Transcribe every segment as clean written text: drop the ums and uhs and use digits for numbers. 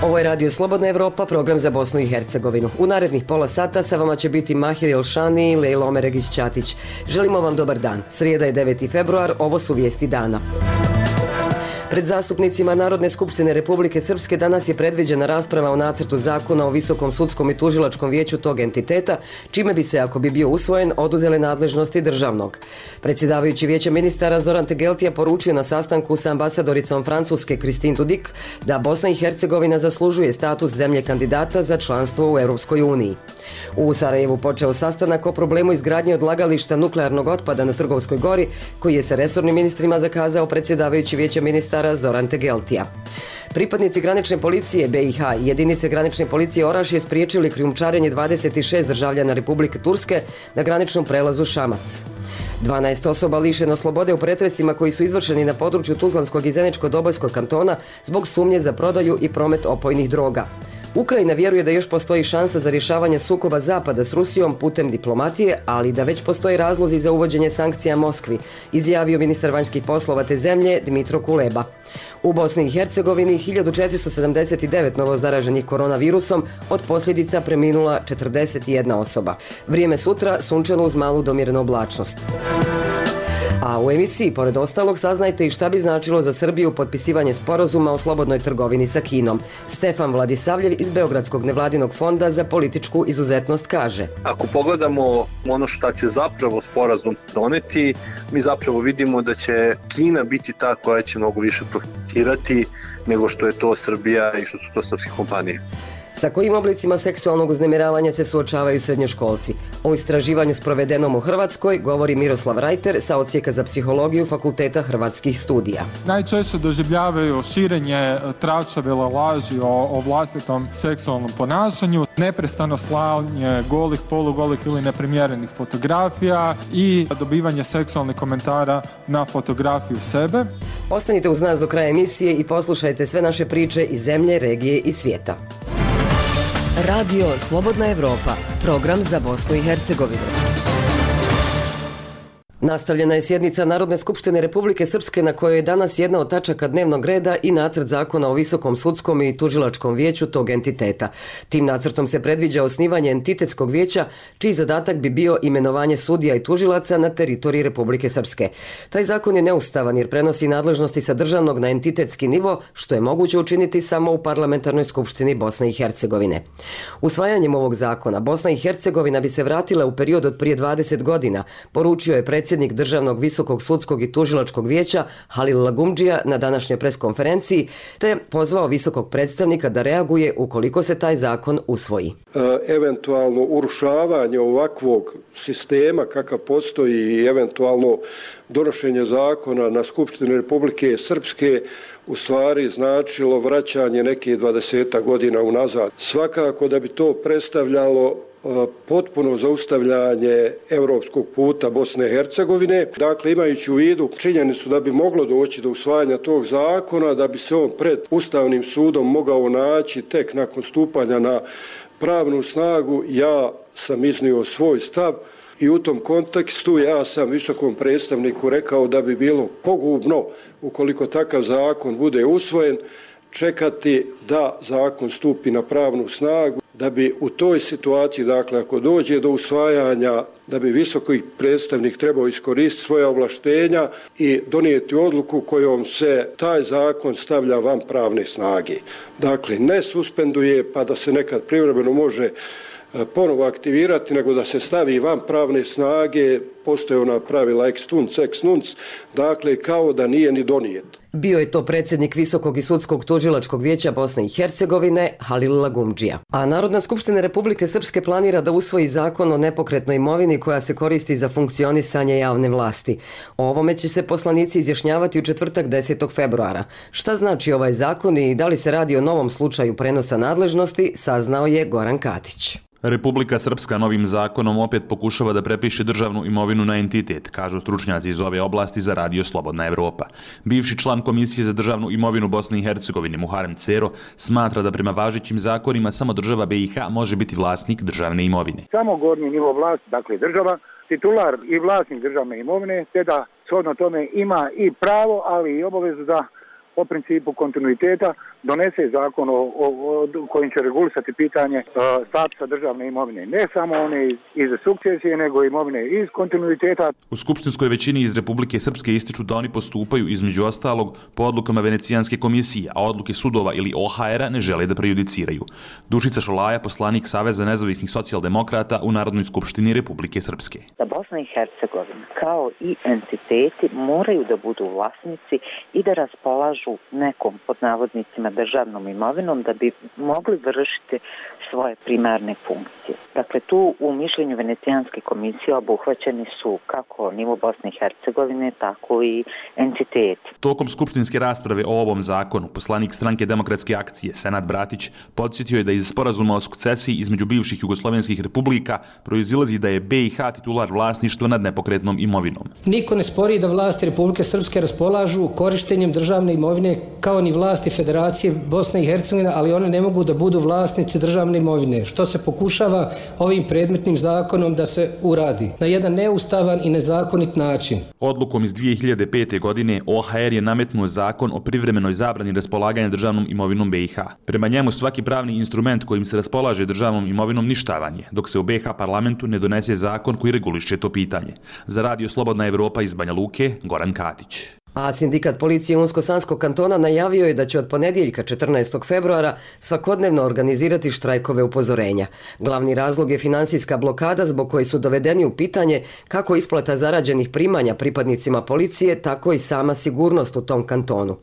Ovo je Radio Slobodna Evropa, program za Bosnu i Hercegovinu. U narednih pola sata sa vama će biti Mahir Elšani i Lejla Omeregić-Ćatić. Želimo vam dobar dan. Srijeda je 9. februar, ovo su vijesti dana. Pred zastupnicima Narodne skupštine Republike Srpske danas je predviđena rasprava o nacrtu zakona o Visokom sudskom i tužilačkom vijeću tog entiteta, čime bi se, ako bi bio usvojen, oduzele nadležnosti državnog. Predsjedavajući vijeća ministara Zoran Tegeltija poručio na sastanku sa ambasadoricom Francuske Christine Dudik da Bosna i Hercegovina zaslužuje status zemlje kandidata za članstvo u Europskoj uniji. U Sarajevu počeo sastanak o problemu izgradnje odlagališta nuklearnog otpada na Trgovskoj gori, koji je sa resornim ministrima zakazao predsjedavajući vijeća ministara Zoran Tegeltija. Pripadnici granične policije BiH i jedinice granične policije Orašje spriječili krijumčarenje 26 državljana Republike Turske na graničnom prelazu Šamac. 12 osoba lišeno slobode u pretresima koji su izvršeni na području Tuzlanskog i Zeničko-Dobojskog kantona zbog sumnje za prodaju i promet opojnih droga. Ukrajina vjeruje da još postoji šansa za rješavanje sukoba Zapada s Rusijom putem diplomatije, ali da već postoje razlozi za uvođenje sankcija Moskvi, izjavio ministar vanjskih poslova te zemlje Dmitro Kuleba. U Bosni i Hercegovini 1479 novozaraženih koronavirusom, od posljedica preminula 41 osoba. Vrijeme sutra sunčano uz malu do umjerenu oblačnost. A u emisiji, pored ostalog, saznajte i šta bi značilo za Srbiju potpisivanje sporazuma o slobodnoj trgovini sa Kinom. Stefan Vladisavljev iz Beogradskog nevladinog fonda za političku izuzetnost kaže: Ako pogledamo ono šta će zapravo sporazum doneti, mi zapravo vidimo da će Kina biti ta koja će mnogo više profitirati nego što je to Srbija i što su to srpske kompanije. Sa kojim oblicima seksualnog uznemiravanja se suočavaju srednjoškolci? O istraživanju sprovedenom u Hrvatskoj govori Miroslav Rajter sa Odsjeka za psihologiju Fakulteta hrvatskih studija. Najčešće doživljavaju širenje tračevila laži o vlastitom seksualnom ponašanju, neprestano slanje golih, polugolih ili neprimjerenih fotografija i dobivanje seksualnih komentara na fotografiju sebe. Ostanite uz nas do kraja emisije i poslušajte sve naše priče iz zemlje, regije i svijeta. Radio Slobodna Evropa, program za Bosnu i Hercegovinu. Nastavljena je sjednica Narodne skupštine Republike Srpske na kojoj je danas jedna od tačaka dnevnog reda i nacrt zakona o Visokom sudskom i tužilačkom vijeću tog entiteta. Tim nacrtom se predviđa osnivanje entitetskog vijeća, čiji zadatak bi bio imenovanje sudija i tužilaca na teritoriji Republike Srpske. Taj zakon je neustavan jer prenosi nadležnosti sa državnog na entitetski nivo, što je moguće učiniti samo u Parlamentarnoj skupštini Bosne i Hercegovine. Usvajanjem ovog zakona Bosna i Hercegovina bi se vratila u period od prije 20 godina, poručio je predsjednik Državnog visokog sudskog i tužilačkog vijeća Halil Lagumdžija na današnjoj preskonferenciji, te pozvao visokog predstavnika da reaguje ukoliko se taj zakon usvoji. Eventualno urušavanje ovakvog sistema kakav postoji i eventualno donošenje zakona na Skupštini Republike Srpske u stvari značilo vraćanje neke 20 godina unazad. Svakako da bi to predstavljalo potpuno zaustavljanje europskog puta Bosne i Hercegovine. Dakle, imajući u vidu činjenicu da bi moglo doći do usvajanja tog zakona, da bi se on pred Ustavnim sudom mogao naći tek nakon stupanja na pravnu snagu, ja sam iznio svoj stav i u tom kontekstu ja sam visokom predstavniku rekao da bi bilo pogubno, ukoliko takav zakon bude usvojen, čekati da zakon stupi na pravnu snagu, da bi u toj situaciji, dakle, ako dođe do usvajanja, da bi visoki predstavnik trebao iskoristiti svoja ovlaštenja i donijeti odluku kojom se taj zakon stavlja van pravne snage. Dakle, ne suspenduje pa da se nekad privremeno može ponovo aktivirati, nego da se stavi van pravne snage, postoje ona pravila ex tunc, ex nunc, dakle kao da nije ni donijet. Bio je to predsjednik Visokog i sudskog tužilačkog vijeća Bosne i Hercegovine Halil Lagumdžija. A Narodna skupština Republike Srpske planira da usvoji zakon o nepokretnoj imovini koja se koristi za funkcionisanje javne vlasti. O ovome će se poslanici izjašnjavati u četvrtak 10. februara. Šta znači ovaj zakon i da li se radi o novom slučaju prenosa nadležnosti, saznao je Goran Katić. Republika Srpska novim zakonom opet pokušava da prepiše državnu imovinu na entitet, kažu stručnjaci iz ove oblasti za Radio Slobodna Evropa. Bivši član Komisije za državnu imovinu Bosne i Hercegovine Muharem Cero smatra da prema važećim zakonima samo država BiH može biti vlasnik državne imovine. Samo gornji nivo vlasti, dakle država, titular i vlasnik državne imovine, te da shodno tome ima i pravo, ali i obavezu da po principu kontinuiteta donese zakon kojim će regulisati pitanje statusa državne imovine. Ne samo one iz sukcesije, nego imovine iz kontinuiteta. U skupštinskoj većini iz Republike Srpske ističu da oni postupaju između ostalog po odlukama Venecijanske komisije, a odluke sudova ili OHR-a ne žele da prejudiciraju. Dušica Šolaja, poslanik Saveza nezavisnih socijaldemokrata u Narodnoj skupštini Republike Srpske. Da Bosna i Hercegovina kao i entiteti moraju da budu vlasnici i da raspolažu nekom, pod navodnicima, državnom imovinom da bi mogli vršiti svoje primarne funkcije. Dakle, tu u mišljenju Venecijanske komisije obuhvaćeni su kako nivo Bosne i Hercegovine, tako i entiteti. Tokom skupštinske rasprave o ovom zakonu, poslanik Stranke demokratske akcije Senad Bratić podsjetio je da iz sporazuma o sukcesiji između bivših jugoslovenskih republika proizilazi da je BiH titular vlasništva nad nepokretnom imovinom. Niko ne spori da vlasti Republike Srpske raspolažu korištenjem državne imovine kao ni vlasti Federacije Bosne i Hercegovine, ali one ne mogu da budu vlasnici državne imovine, što se pokušava ovim predmetnim zakonom da se uradi na jedan neustavan i nezakonit način. Odlukom iz 2005. godine OHR je nametnuo zakon o privremenoj zabrani raspolaganja državnom imovinom BiH. Prema njemu svaki pravni instrument kojim se raspolaže državnom imovinom ništavan je, dok se u BiH parlamentu ne donese zakon koji reguliše to pitanje. Za Radio Slobodna Evropa iz Banja Luke, Goran Katić. A sindikat policije Unsko-Sanskog kantona najavio je da će od ponedjeljka 14. februara svakodnevno organizirati štrajkove upozorenja. Glavni razlog je finansijska blokada zbog koje su dovedeni u pitanje kako isplata zarađenih primanja pripadnicima policije, tako i sama sigurnost u tom kantonu.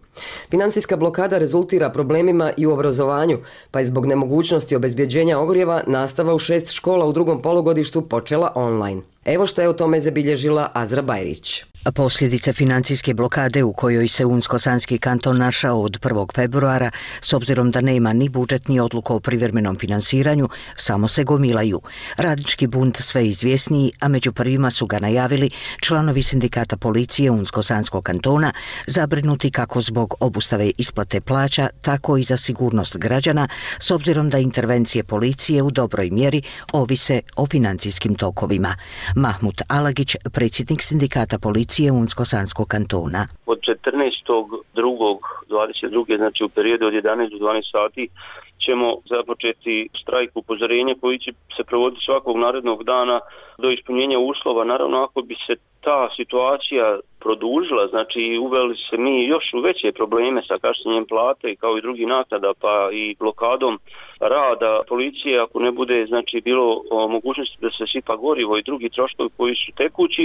Finansijska blokada rezultira problemima i u obrazovanju, pa je zbog nemogućnosti obezbjeđenja ogrijeva nastava u 6 škola u drugom polugodištu počela online. Evo što je o tome zabilježila Azra Bajrić. Posljedice financijske blokade u kojoj se Unsko-Sanski kanton našao od 1. februara, s obzirom da nema ni budžet ni odluku o privremenom finansiranju, samo se gomilaju. Radnički bunt sve izvjesniji, a među prvima su ga najavili članovi sindikata policije Unsko-Sanskog kantona, zabrinuti kako zbog obustave isplate plaća, tako i za sigurnost građana, s obzirom da intervencije policije u dobroj mjeri ovise o financijskim tokovima. Mahmut Alagić, predsjednik sindikata policije Unsko-Sanskog kantona. Od 14.2.22. znači u periodu od 11 do 12 sati ćemo započeti štrajk upozorenja koji će se provoditi svakog narednog dana do ispunjenja uslova. Naravno, ako bi se ta situacija produžila, znači uveli se mi još u veće probleme sa kašnjenjem plate kao i drugih naknada, pa i blokadom rada policije, ako ne bude znači bilo mogućnosti da se sipa gorivo i drugi troškovi koji su tekući,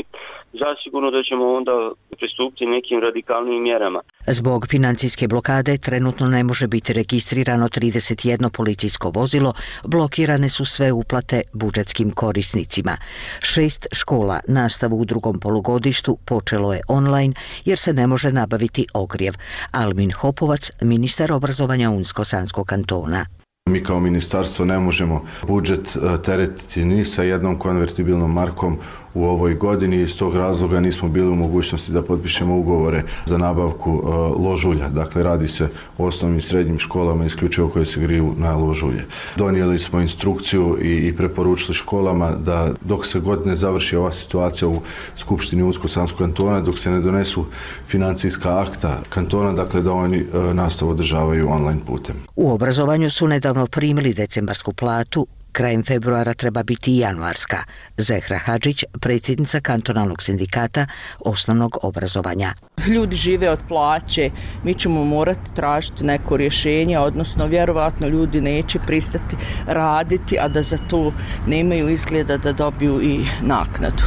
zasigurno da ćemo onda pristupiti nekim radikalnim mjerama. Zbog financijske blokade trenutno ne može biti registrirano 31 policijsko vozilo, blokirane su sve uplate budžetskim korisnicima. 6 škola nastavu u drugom polugodištu počelo je online jer se ne može nabaviti ogrijev. Almin Hopovac, ministar obrazovanja Unsko-Sanskog kantona. Mi kao ministarstvo ne možemo budžet teretiti ni sa jednom konvertibilnom markom u ovoj godini. Iz tog razloga nismo bili u mogućnosti da potpišemo ugovore za nabavku ložulja. Dakle, radi se o osnovnim i srednjim školama isključivo koje se griju na ložulje. Donijeli smo instrukciju i preporučili školama da dok se god ne završi ova situacija u Skupštini Unsko-Sanskog kantona, dok se ne donesu financijska akta kantona, dakle da oni nastavu održavaju online putem. U obrazovanju su nedavno primili decembarsku platu, krajem februara treba biti i januarska. Zehra Hadžić, predsjednica kantonalnog sindikata osnovnog obrazovanja. Ljudi žive od plaće, mi ćemo morati tražiti neko rješenje, odnosno vjerovatno ljudi neće pristati raditi, a da za to nemaju izgleda da dobiju i naknadu.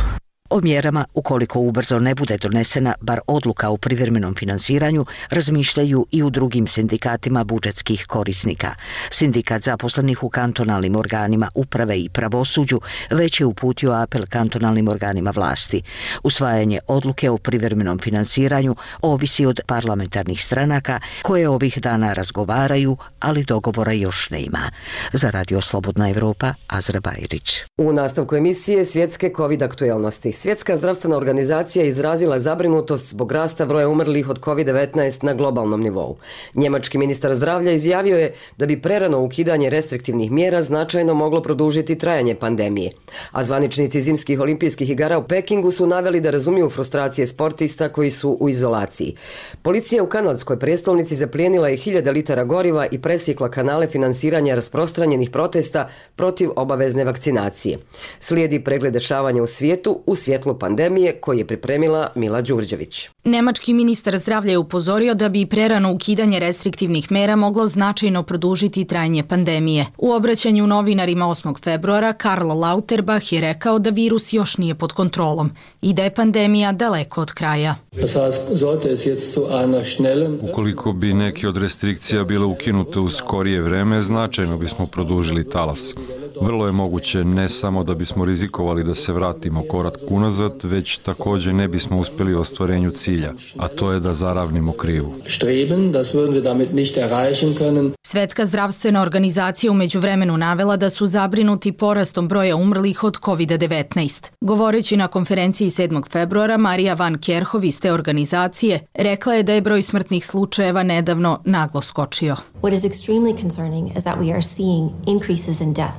O mjerama, ukoliko ubrzo ne bude donesena bar odluka o privremenom finansiranju, razmišljaju i u drugim sindikatima budžetskih korisnika. Sindikat zaposlenih u kantonalnim organima uprave i pravosuđu već je uputio apel kantonalnim organima vlasti. Usvajanje odluke o privremenom finansiranju ovisi od parlamentarnih stranaka koje ovih dana razgovaraju, ali dogovora još nema. Za Radio Slobodna Evropa, Azra Bajrić. U nastavku emisije svjetske COVID aktuelnosti. Svjetska zdravstvena organizacija izrazila zabrinutost zbog rasta broja umrlih od COVID-19 na globalnom nivou. Njemački ministar zdravlja izjavio je da bi prerano ukidanje restriktivnih mjera značajno moglo produžiti trajanje pandemije. A zvaničnici zimskih olimpijskih igara u Pekingu su naveli da razumiju frustracije sportista koji su u izolaciji. Policija u kanadskoj prijestolnici zaplijenila je 1000 litara goriva i presjekla kanale finansiranja rasprostranjenih protesta protiv obavezne vakcinacije. Slijedi pregled dešavanja u svijetu u svjetlu pandemije koji je pripremila Mila Đurđević. Nemački ministar zdravlja je upozorio da bi prerano ukidanje restriktivnih mera moglo značajno produžiti trajanje pandemije. U obraćanju novinarima 8. februara Karl Lauterbach je rekao da virus još nije pod kontrolom i da je pandemija daleko od kraja. Ukoliko bi neke od restrikcija bile ukinute u skorije vreme, značajno bismo produžili talas. Vrlo je moguće ne samo da bismo rizikovali da se vratimo korak unazad, već također ne bismo uspjeli u ostvarenju cilja, a to je da zaravnimo krivu. Svjetska zdravstvena organizacija u međuvremenu navela da su zabrinuti porastom broja umrlih od COVID-19. Govoreći na konferenciji 7. februara, Marija van Kerhov iz te organizacije rekla je da je broj smrtnih slučajeva nedavno naglo skočio.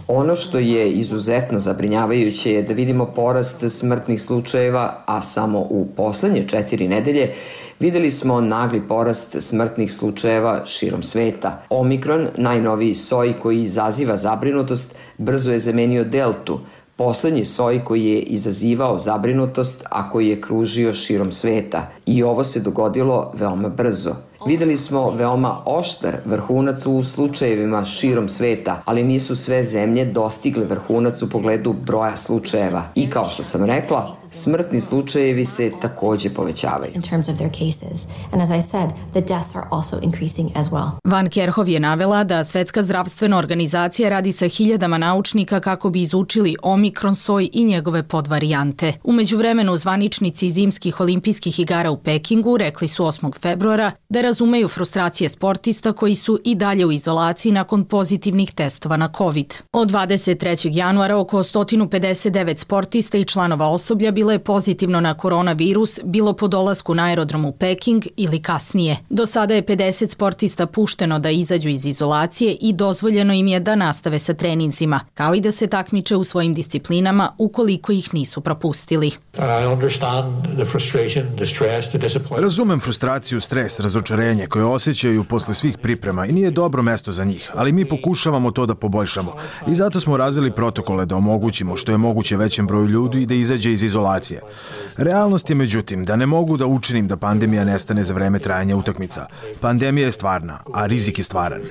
Ono što je izuzetno zabrinjavajuće je da vidimo porast smrtnih slučajeva, a samo u poslednje 4 nedelje videli smo nagli porast smrtnih slučajeva širom sveta. Omikron, najnoviji soj koji izaziva zabrinutost, brzo je zamenio deltu, poslednji soj koji je izazivao zabrinutost, a koji je kružio širom sveta. I ovo se dogodilo veoma brzo. Videli smo veoma oštar vrhunac u slučajevima širom sveta, ali nisu sve zemlje dostigle vrhunac u pogledu broja slučajeva. I kao što sam rekla, smrtni slučajevi se također povećavaju. Van Kerhov je navela da Svjetska zdravstvena organizacija radi sa 1000 naučnika kako bi izučili omikron soj i njegove podvarijante. U međuvremenu zvaničnici zimskih olimpijskih igara u Pekingu rekli su 8. februara da razumeju frustracije sportista koji su i dalje u izolaciji nakon pozitivnih testova na COVID. Od 23. januara oko 159 sportista i članova osoblja bilo je pozitivno na koronavirus, bilo po dolasku na aerodrom u Peking ili kasnije. Do sada je 50 sportista pušteno da izađu iz izolacije i dozvoljeno im je da nastave sa treninzima, kao i da se takmiče u svojim disciplinama ukoliko ih nisu propustili. Razumem frustraciju, stres, razočarenje koje osjećaju posle svih priprema i nije dobro mesto za njih, ali mi pokušavamo to da poboljšamo i zato smo razvili protokole da omogućimo što je moguće većem broju ljudi da izađe iz izolacije. Realnost je međutim da ne mogu da učinim da pandemija nestane za vreme trajanja utakmica. Pandemija je stvarna, a rizik je stvaran.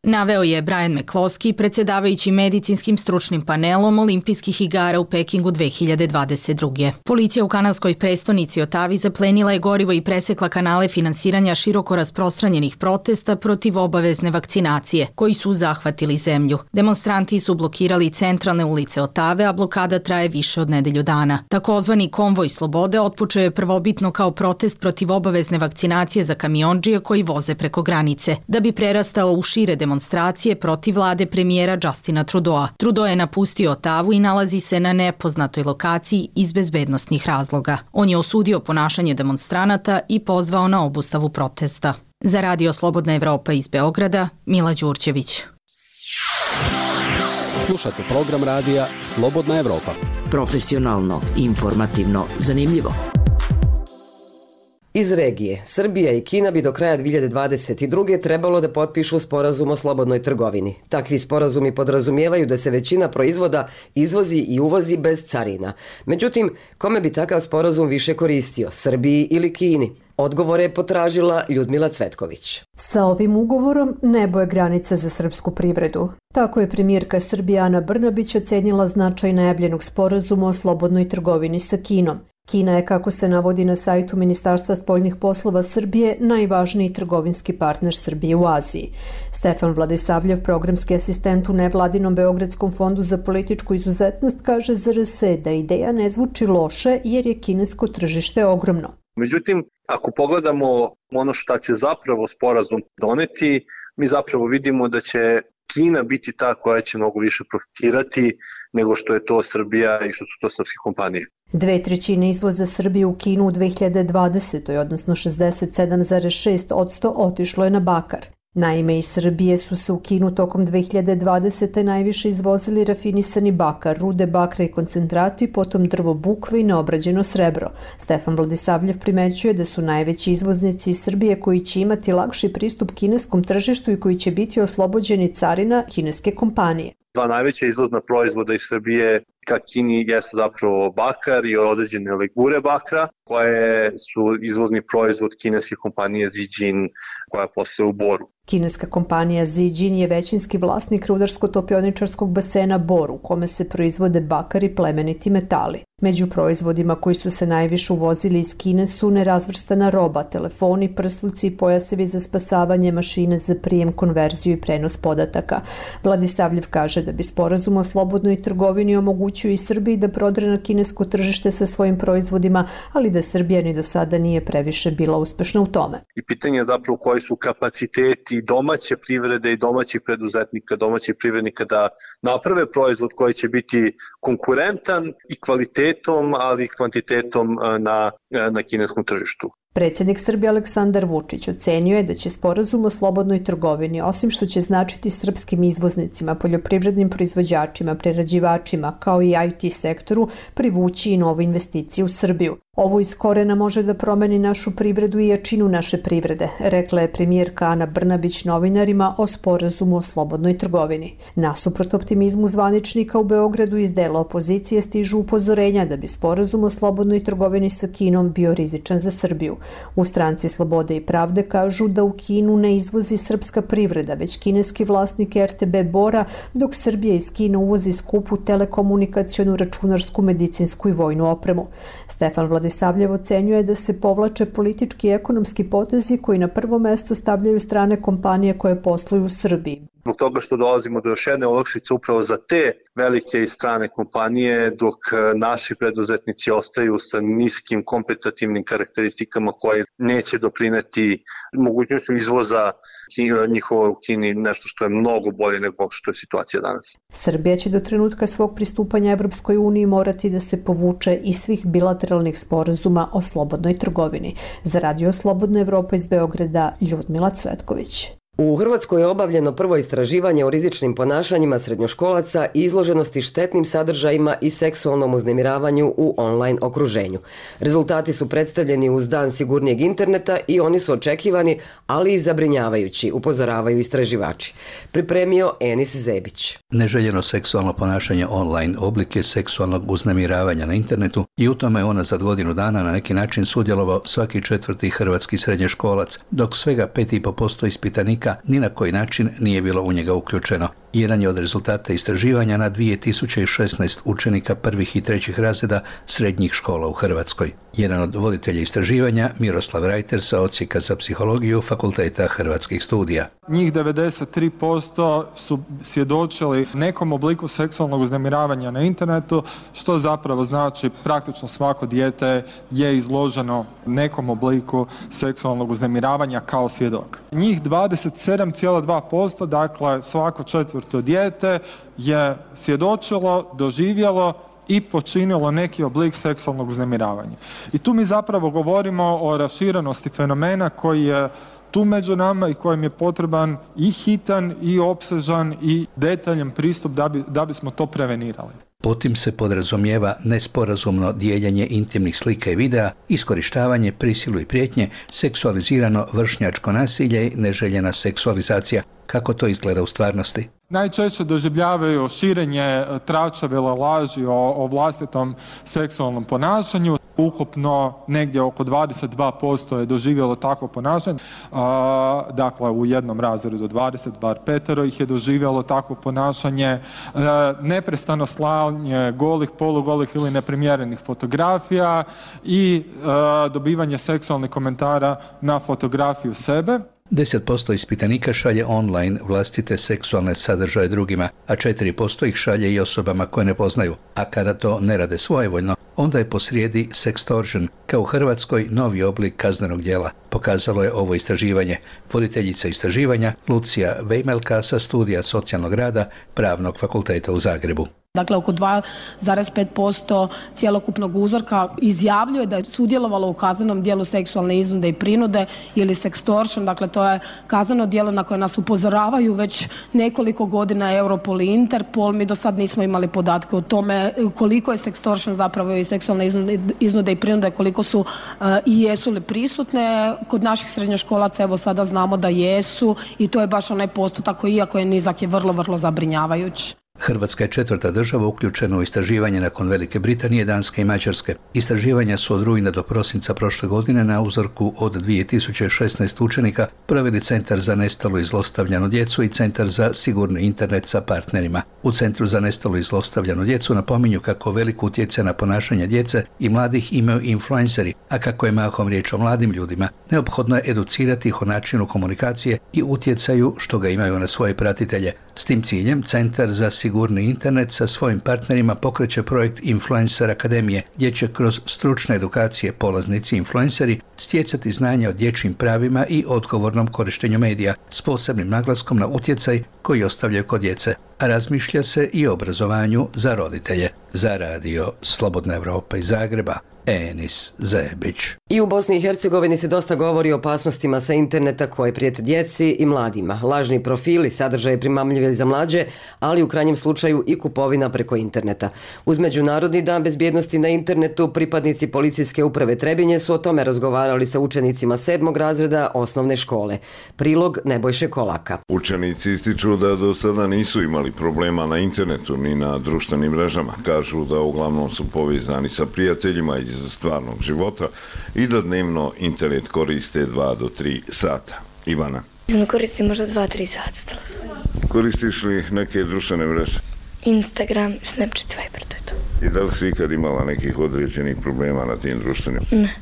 Naveo je Brian McCloskey, predsjedavajući medicinskim stručnim panelom Olimpijskih igara u Pekingu 2022. Policija u kanadskoj prestonici Otavi zaplenila je gorivo i presekla kanale finansiranja široko rasprostranjenih protesta protiv obavezne vakcinacije, koji su zahvatili zemlju. Demonstranti su blokirali centralne ulice Otave, a blokada traje više od nedelju dana. Takozvani konvoj slobode otpočeo je prvobitno kao protest protiv obavezne vakcinacije za kamiondžije koji voze preko granice, da bi prerastao u šire demonstracije protiv vlade premijera Justina Trudeau. Trudeau je napustio Otavu i nalazi se na nepoznatoj lokaciji iz bezbednosnih razloga. On je osudio ponašanje demonstranata i pozvao na obustavu protesta. Za Radio Slobodna Evropa iz Beograda, Mila Đurđević. Slušate program radija Slobodna Evropa. Profesionalno, informativno, zanimljivo. Iz regije, Srbija i Kina bi do kraja 2022. trebalo da potpišu sporazum o slobodnoj trgovini. Takvi sporazumi podrazumijevaju da se većina proizvoda izvozi i uvozi bez carina. Međutim, kome bi takav sporazum više koristio, Srbiji ili Kini? Odgovore je potražila Ljudmila Cvetković. Sa ovim ugovorom nebo je granica za srpsku privredu. Tako je premijerka Srbije Ana Brnabić ocenila značaj najavljenog sporazuma o slobodnoj trgovini sa Kinom. Kina je, kako se navodi na sajtu Ministarstva spoljnih poslova Srbije, najvažniji trgovinski partner Srbije u Aziji. Stefan Vladisavljev, programski asistent u nevladinom Beogradskom fondu za političku izuzetnost, kaže za RS da ideja ne zvuči loše jer je kinesko tržište ogromno. Međutim, ako pogledamo ono šta će zapravo sporazum doneti, mi zapravo vidimo da će Kina biti ta koja će mnogo više profitirati nego što je to Srbija i što su to srpske kompanije. 2/3 izvoza Srbije u Kinu u 2020. odnosno 67,6% otišlo je na bakar. Naime, iz Srbije su se u Kinu tokom 2020. najviše izvozili rafinisani bakar, rude bakra i koncentrati, potom drvo bukve i neobrađeno srebro. Stefan Vladisavljev primećuje da su najveći izvoznici iz Srbije koji će imati lakši pristup kineskom tržištu i koji će biti oslobođeni carina kineske kompanije. Dva najveća izvozna proizvoda iz Srbije ka Kini jesu zapravo bakar i određene legure bakra, koje su izvozni proizvod kineske kompanije Zijin koja posluje u Boru. Kineska kompanija Zijin je većinski vlasnik rudarsko-topioničarskog basena Bor, u kome se proizvode bakar i plemeniti metali. Među proizvodima koji su se najviše uvozili iz Kine su nerazvrstana roba, telefoni, prsluci i pojasevi za spasavanje, mašine za prijem, konverziju i prenos podataka. Vladisavljev kaže da bi sporazum o slobodnoj trgovini omogućio i Srbiji da prodre na kinesko tržište sa svojim proizvodima, ali da Srbija ni do sada nije previše bila uspešna u tome. I pitanje je zapravo koji su kapaciteti domaće privrede i domaćih preduzetnika, domaćih privrednika da naprave proizvod koji će biti konkurentan i kvalitetom, ali i kvantitetom na kineskom tržištu. Predsjednik Srbije Aleksandar Vučić ocenio je da će sporazum o slobodnoj trgovini, osim što će značiti srpskim izvoznicima, poljoprivrednim proizvođačima, prerađivačima, kao i IT sektoru, privući i nove investicije u Srbiju. Ovo iz korena može da promeni našu privredu i jačinu naše privrede, rekla je premijerka Ana Brnabić novinarima o sporazumu o slobodnoj trgovini. Nasuprot optimizmu zvaničnika u Beogradu iz dela opozicije stižu upozorenja da bi sporazum o slobodnoj trgovini sa Kinom bio rizičan za Srbiju. U Stranci Slobode i pravde kažu da u Kinu ne izvozi srpska privreda, već kineski vlasnik RTB Bora, dok Srbija iz Kine uvozi skupu telekomunikacionu, računarsku, medicinsku i vojnu opremu. Stefan Vladisavljev ocenjuje da se povlače politički i ekonomski potezi koji na prvo mesto stavljaju strane kompanije koje posluju u Srbiji. Zbog toga što dolazimo do još jedne olakšice upravo za te velike i strane kompanije, dok naši preduzetnici ostaju sa niskim kompetitivnim karakteristikama koje neće doprineti mogućnošću izvoza njihova u Kini, nešto što je mnogo bolje nego što je situacija danas. Srbija će do trenutka svog pristupanja Evropskoj uniji morati da se povuče iz svih bilateralnih sporazuma o slobodnoj trgovini. Za Radio Slobodna Evropa iz Beograda, Ljudmila Cvetković. U Hrvatskoj je obavljeno prvo istraživanje o rizičnim ponašanjima srednjoškolaca i izloženosti štetnim sadržajima i seksualnom uznemiravanju u online okruženju. Rezultati su predstavljeni uz Dan sigurnijeg interneta i oni su očekivani, ali i zabrinjavajući, upozoravaju istraživači. Pripremio Enis Zebić. Neželjeno seksualno ponašanje online oblik je seksualnog uznemiravanja na internetu i u tome je unazad godinu dana na neki način sudjelovao svaki 4. hrvatski srednjoškolac, dok svega 5,5% ispitanika ni na koji način nije bilo u njega uključeno. Jedan je od rezultata istraživanja na 2016 učenika prvih i trećih razreda srednjih škola u Hrvatskoj. Jedan od voditelja istraživanja, Miroslav Rajter sa Odsjeka za psihologiju Fakulteta Hrvatskih studija. Njih 93% su svjedočili nekom obliku seksualnog uznemiravanja na internetu, što zapravo znači praktično svako dijete je izloženo nekom obliku seksualnog uznemiravanja kao svjedok. Njih 27,2%, dakle svako 4. dijete je svjedočilo, doživjelo i počinilo neki oblik seksualnog uznemiravanja. I tu mi zapravo govorimo o raširenosti fenomena koji je tu među nama i kojem je potreban i hitan i opsežan i detaljan pristup da bismo to prevenirali. Potim se podrazumijeva nesporazumno dijeljenje intimnih slika i videa, iskorištavanje, prisilu i prijetnje, seksualizirano vršnjačko nasilje i neželjena seksualizacija. Kako to izgleda u stvarnosti? Najčešće doživljavaju širenje tračevele laži o vlastitom seksualnom ponašanju. Ukupno negdje oko 22% je doživjelo takvo ponašanje. Dakle, u jednom razredu 20, bar 5 ih je doživjelo takvo ponašanje. Neprestano slanje golih, polugolih ili neprimjerenih fotografija i dobivanje seksualnih komentara na fotografiju sebe. 10% ispitanika šalje online vlastite seksualne sadržaje drugima, a 4% ih šalje i osobama koje ne poznaju. A kada to ne rade svojevoljno, onda je posrijedi sextortion, kao u Hrvatskoj novi oblik kaznenog djela, pokazalo je ovo istraživanje. Voditeljica istraživanja Lucija Vejmelka sa studija socijalnog rada Pravnog fakulteta u Zagrebu. Dakle, oko 2,5% cjelokupnog uzorka izjavljuje da je sudjelovalo u kaznenom djelu seksualne iznude i prinude ili sextortion. Dakle, to je kazneno djelo na koje nas upozoravaju već nekoliko godina Europol i Interpol. Mi do sad nismo imali podatke o tome koliko je sextortion zapravo i seksualne iznude i prinude, koliko su i jesu li prisutne. Kod naših srednjoškolaca evo sada znamo da jesu i to je baš onaj postotak koji, iako je nizak, je vrlo, vrlo zabrinjavajući. Hrvatska je 4. država uključena u istraživanje nakon Velike Britanije, Danske i Mađarske. Istraživanja su od rujna do prosinca prošle godine na uzorku od 2016 učenika proveli Centar za nestalu i zlostavljanu djecu i Centar za sigurni internet sa partnerima. U Centru za nestalu i zlostavljanu djecu napominju kako velik utjecaj na ponašanje djece i mladih imaju influenceri, a kako je mahom riječ o mladim ljudima, neophodno je educirati ih o načinu komunikacije i utjecaju što ga imaju na svoje pratitelje. S tim ciljem Centar za sigurni internet sa svojim partnerima pokreće projekt Influencer Akademije, gdje će kroz stručne edukacije polaznici influenceri stjecati znanja o dječjim pravima i odgovornom korištenju medija s posebnim naglaskom na utjecaj koji ostavljaju kod djece. A razmišlja se i o obrazovanju za roditelje. Za radio Slobodna Evropa iz Zagreba, Enis Zebić. I u Bosni i Hercegovini se dosta govori o opasnostima sa interneta koje prijete djeci i mladima. Lažni profili, sadržaje primamljive za mlađe, ali u krajnjem slučaju i kupovina preko interneta. Uz Međunarodni dan bezbjednosti na internetu, pripadnici policijske uprave Trebinje su o tome razgovarali sa učenicima 7. razreda osnovne škole. Prilog Nebojše Kolaka. Učenici ističu da do sada nisu imali problema na internetu ni na društvenim mrežama. Kažu da uglavnom su povezani sa prijateljima iz stvarnog života i da dnevno internet koriste 2 do 3 sata. Ivana. Koristim možda 2-3 sata. Koristiš li neke društvene mreže? Instagram, Snapchat, Viber, to je to. I da li si ikad imala nekih određenih problema na tim društvenim? Ne.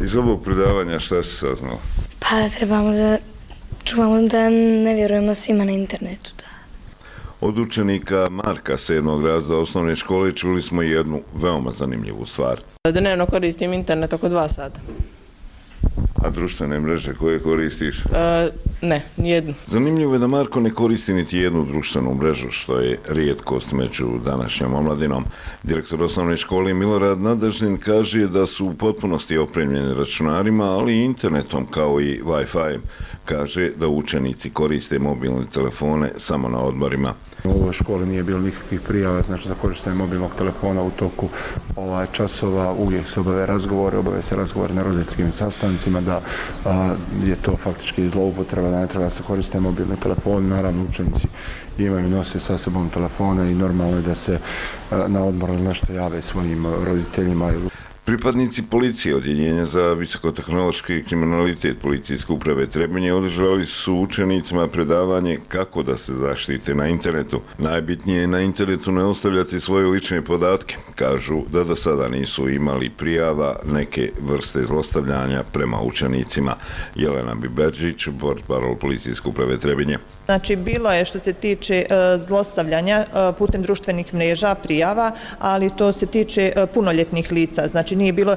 Iz ovog predavanja šta si saznala? Pa da trebamo da čuvamo da ne vjerujemo svima na internetu. Da. Od učenika Marka 7. razreda osnovne škole čuli smo jednu veoma zanimljivu stvar. Dnevno koristim internet oko 2 sata. A društvene mreže koje koristiš? Ne, nijednu. Zanimljivo je da Marko ne koristi niti jednu društvenu mrežu, što je rijetkost među današnjom omladinom. Direktor osnovne škole Milorad Nadežnin kaže da su u potpunosti opremljeni računarima, ali i internetom kao i Wi-Fi. Kaže da učenici koriste mobilne telefone samo na odmorima. U ovoj školi nije bilo nikakvih prijava, znači za korištenje mobilnog telefona u toku časova, uvijek se obave se razgovore na roditeljskim sastancima, da je to faktički zloupotreba, da ne treba se koristiti mobilni telefon. Naravno, učenici imaju, nose sa sobom telefona i normalno je da se na odmoru nešto jave svojim roditeljima. Pripadnici policije Odjeljenja za visokotehnološki kriminalitet policijske uprave Trebinje održali su učenicima predavanje kako da se zaštite na internetu. Najbitnije je na internetu ne ostavljati svoje lične podatke. Kažu da do sada nisu imali prijava neke vrste zlostavljanja prema učenicima. Jelena Biberđić, portparol policijske uprave Trebinje. Znači, bilo je što se tiče zlostavljanja putem društvenih mreža, prijava, ali to se tiče punoljetnih lica. Znači, nije bilo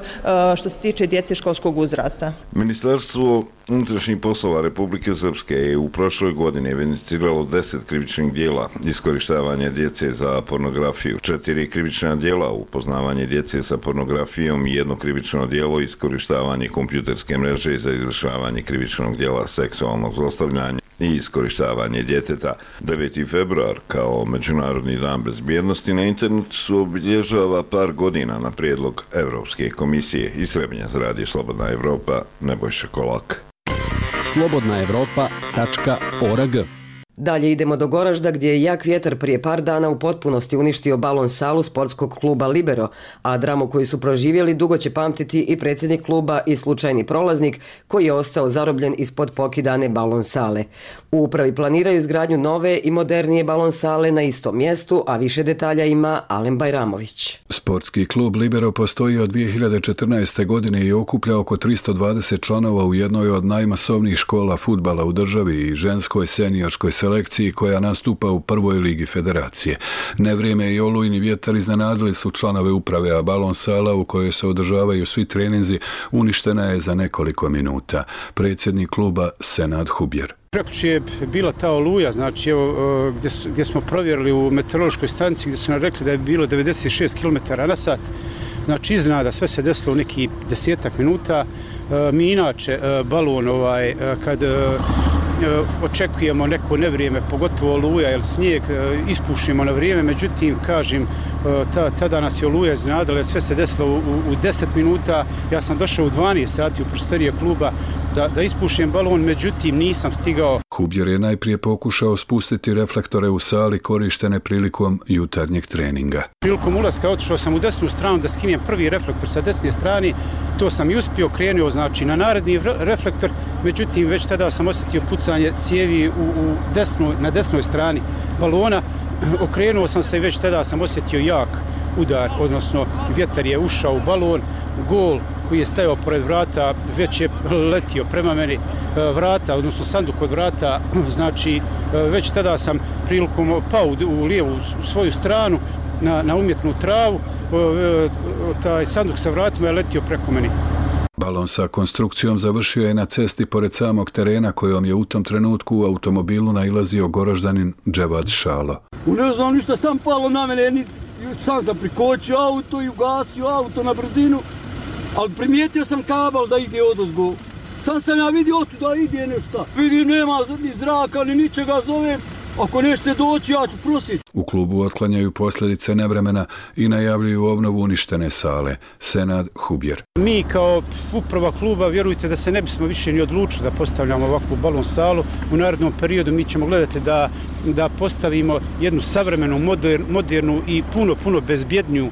što se tiče djece školskog uzrasta. Ministarstvo unutrašnjih poslova Republike Srpske je u prošloj godini evidentiralo 10 krivičnih dijela iskorištavanja djece za pornografiju, 4 krivična dijela upoznavanje djece sa pornografijom i 1 krivično dijelo iskorištavanje kompjuterske mreže za izvršavanje krivičnog dijela seksualnog zlostavljanja i iskorištavanje djeteta. 9. februar kao Međunarodni dan bezbjednosti na internetu su obilježava par godina na prijedlog Evropske komisije. Iz Trebinja za radio Slobodna Evropa, Nebojša Kolak. slobodnaevropa.org. Dalje idemo do Goražda gdje je jak vjetar prije par dana u potpunosti uništio balon salu sportskog kluba Libero, a dramu koju su proživjeli dugo će pamtiti i predsjednik kluba i slučajni prolaznik koji je ostao zarobljen ispod pokidane balon sale. U upravi planiraju izgradnju nove i modernije balon sale na istom mjestu, a više detalja ima Alen Bajramović. Sportski klub Libero postoji od 2014. godine i okuplja oko 320 članova u jednoj od najmasovnijih škola fudbala u državi i ženskoj seniorskoj selekciji selekciji koja nastupa u prvoj ligi federacije. Nevrijeme i olujni vjetar iznenadili su članove uprave, a balon sala u kojoj se održavaju svi treninzi uništena je za nekoliko minuta. Predsjednik kluba Senad Hubjer. Prekjuče je bila ta oluja, znači evo, gdje smo provjerili u meteorološkoj stanici gdje su nam rekli da je bilo 96 km na sat. Znači iznenada sve se desilo u neki 10-ak minuta. Mi inače balon kad očekujemo neko nevrijeme, pogotovo oluja ili snijeg, ispušimo na vrijeme, međutim, kažem, tada nas je oluja iznenadila, sve se desilo u 10 minuta. Ja sam došao u 12 sati u prostorije kluba da ispušim balon, međutim nisam stigao. Hubjer je najprije pokušao spustiti reflektore u sali korištene prilikom jutarnjeg treninga. Prilikom ulaska otišao sam u desnu stranu da skinem prvi reflektor sa desne strane, to sam i uspio, krenuo znači na naredni reflektor, međutim već tada sam osjetio pucanje cijevi na desnoj strani balona, okrenuo sam se i već tada sam osjetio jak udar, odnosno vjetar je ušao u balon, gol koji je stajao pored vrata već je letio prema meni, vrata, odnosno sanduk od vrata, znači već tada sam prilikom pao u lijevu u svoju stranu na umjetnu travu, taj sanduk sa vratima je letio preko meni. Balon sa konstrukcijom završio je na cesti pored samog terena kojom je u tom trenutku u automobilu nailazio Goraždanin Dževad Šalo. Ne znam ništa, sam palo na mene, sam sam prikočio auto i ugasio auto na brzinu, ali primijetio sam kabel da ide odozgo. Sam ja vidio otuda ide nešto. Vidim, nema ni zraka, ni ničega, zovem. Ako nešte doći, ja ću prositi. U klubu otklanjaju posljedice nevremena i najavljuju obnovu uništene sale. Senad Hubjer. Mi kao uprava kluba, vjerujte da se ne bismo više ni odlučili da postavljamo ovakvu balon salu. U narednom periodu mi ćemo gledati da postavimo jednu savremenu, modernu i puno bezbjedniju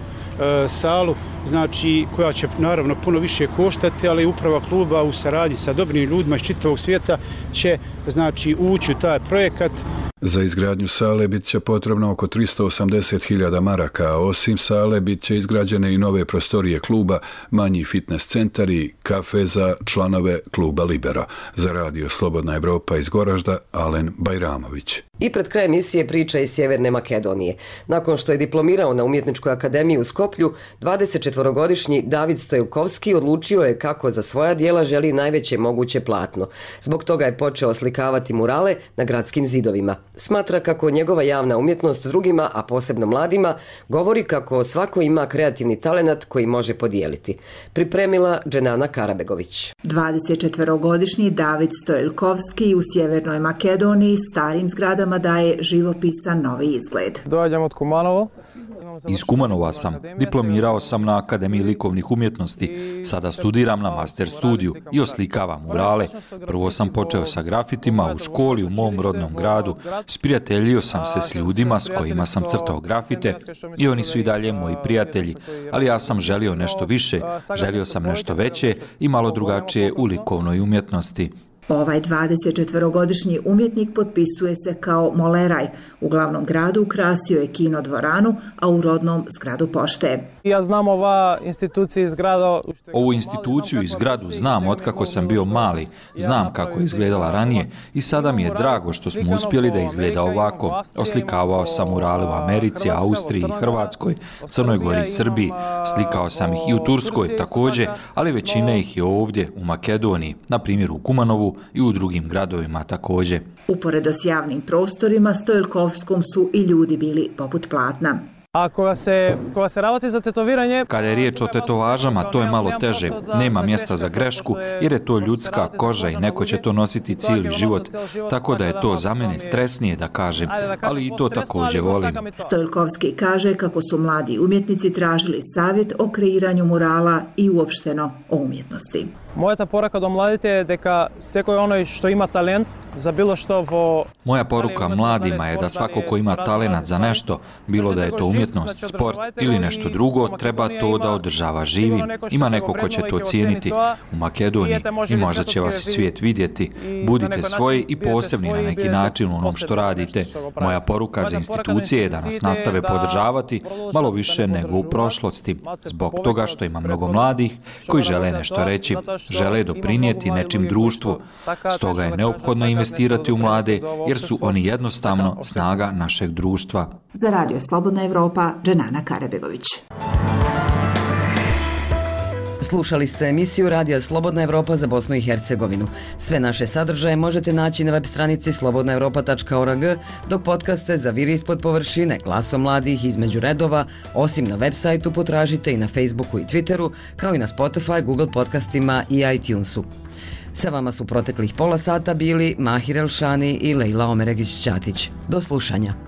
salu, znači koja će naravno puno više koštati, ali uprava kluba u saradnji sa dobrim ljudima iz čitavog svijeta će znači ući u taj projekat. Za izgradnju sale bit će potrebno oko 380.000 maraka, a osim sale bit će izgrađene i nove prostorije kluba, manji fitness centar i kafe za članove kluba Libero. Za radio Slobodna Evropa iz Goražda, Alen Bajramović. I pred kraj emisije priča iz Sjeverne Makedonije. Nakon što je diplomirao na Umjetničkoj akademiji u Skoplju, 24-godišnji David Stojilkovski odlučio je kako za svoja djela želi najveće moguće platno. Zbog toga je počeo oslikavati murale na gradskim zidovima. Smatra kako njegova javna umjetnost drugima, a posebno mladima, govori kako svako ima kreativni talenat koji može podijeliti. Pripremila Dženana Karabegović. 24-godišnji David Stojilkovski u Sjevernoj Makedoniji starim zgradama daje živopisan novi izgled. Dođem od Kumanova. Iz Kumanova sam. Diplomirao sam na Akademiji likovnih umjetnosti. Sada studiram na master studiju i oslikavam murale. Prvo sam počeo sa grafitima u školi u mom rodnom gradu. Sprijateljio sam se s ljudima s kojima sam crtao grafite i oni su i dalje moji prijatelji. Ali ja sam želio nešto više, želio sam nešto veće i malo drugačije u likovnoj umjetnosti. Ovaj 24-godišnji umjetnik potpisuje se kao moleraj. U glavnom gradu ukrasio je kino dvoranu, a u rodnom zgradu pošte. Ja znam ova institucija iz grada. Ovu instituciju i zgradu znam otkako sam bio mali. Znam kako je izgledala ranije i sada mi je drago što smo uspjeli da izgleda ovako. Oslikavao sam murale u Americi, Austriji i Hrvatskoj, Crnoj Gori i Srbiji. Slikao sam ih i u Turskoj također, ali većina ih je ovdje u Makedoniji, na primjer u Kumanovu i u drugim gradovima također. Uporedo s javnim prostorima Stojilkovskom su i ljudi bili poput platna. A koja se ravati za tetoviranje... Kada je riječ o tetovažama, to je malo teže. Nema mjesta za grešku, jer je to ljudska koža i neko će to nositi cijeli život. Tako da je to za mene stresnije, da kažem, ali i to također volim. Stojilkovski kaže kako su mladi umjetnici tražili savjet o kreiranju murala i uopšteno o umjetnosti. Moja poruka do mladite je da svako onaj što ima talent za bilo što... Moja poruka mladima je da svako ko ima talenat za nešto, bilo da je to umjetnost, sport ili nešto drugo, treba to da održava živim. Ima neko ko će to cijeniti u Makedoniji i možda će vas svijet vidjeti. Budite svoji i posebni na neki način u onom što radite. Moja poruka za institucije je da nas nastave podržavati malo više nego u prošlosti, zbog toga što ima mnogo mladih koji žele nešto reći, žele doprinijeti nečim društvu. Stoga je neophodno investirati u mlade, jer su oni jednostavno snaga našeg društva. Za Radio Slobodna Evropa, Dženana Karabegović. Slušali ste emisiju Radija Slobodna Evropa za Bosnu i Hercegovinu. Sve naše sadržaje možete naći na web stranici slobodnaevropa.org, dok podcaste Zaviri ispod površine, Glasom mladih, Između redova, osim na web sajtu potražite i na Facebooku i Twitteru, kao i na Spotify, Google podcastima i iTunesu. Sa vama su proteklih pola sata bili Mahir Elšani i Lejla Omeregić-Ćatić. Do slušanja.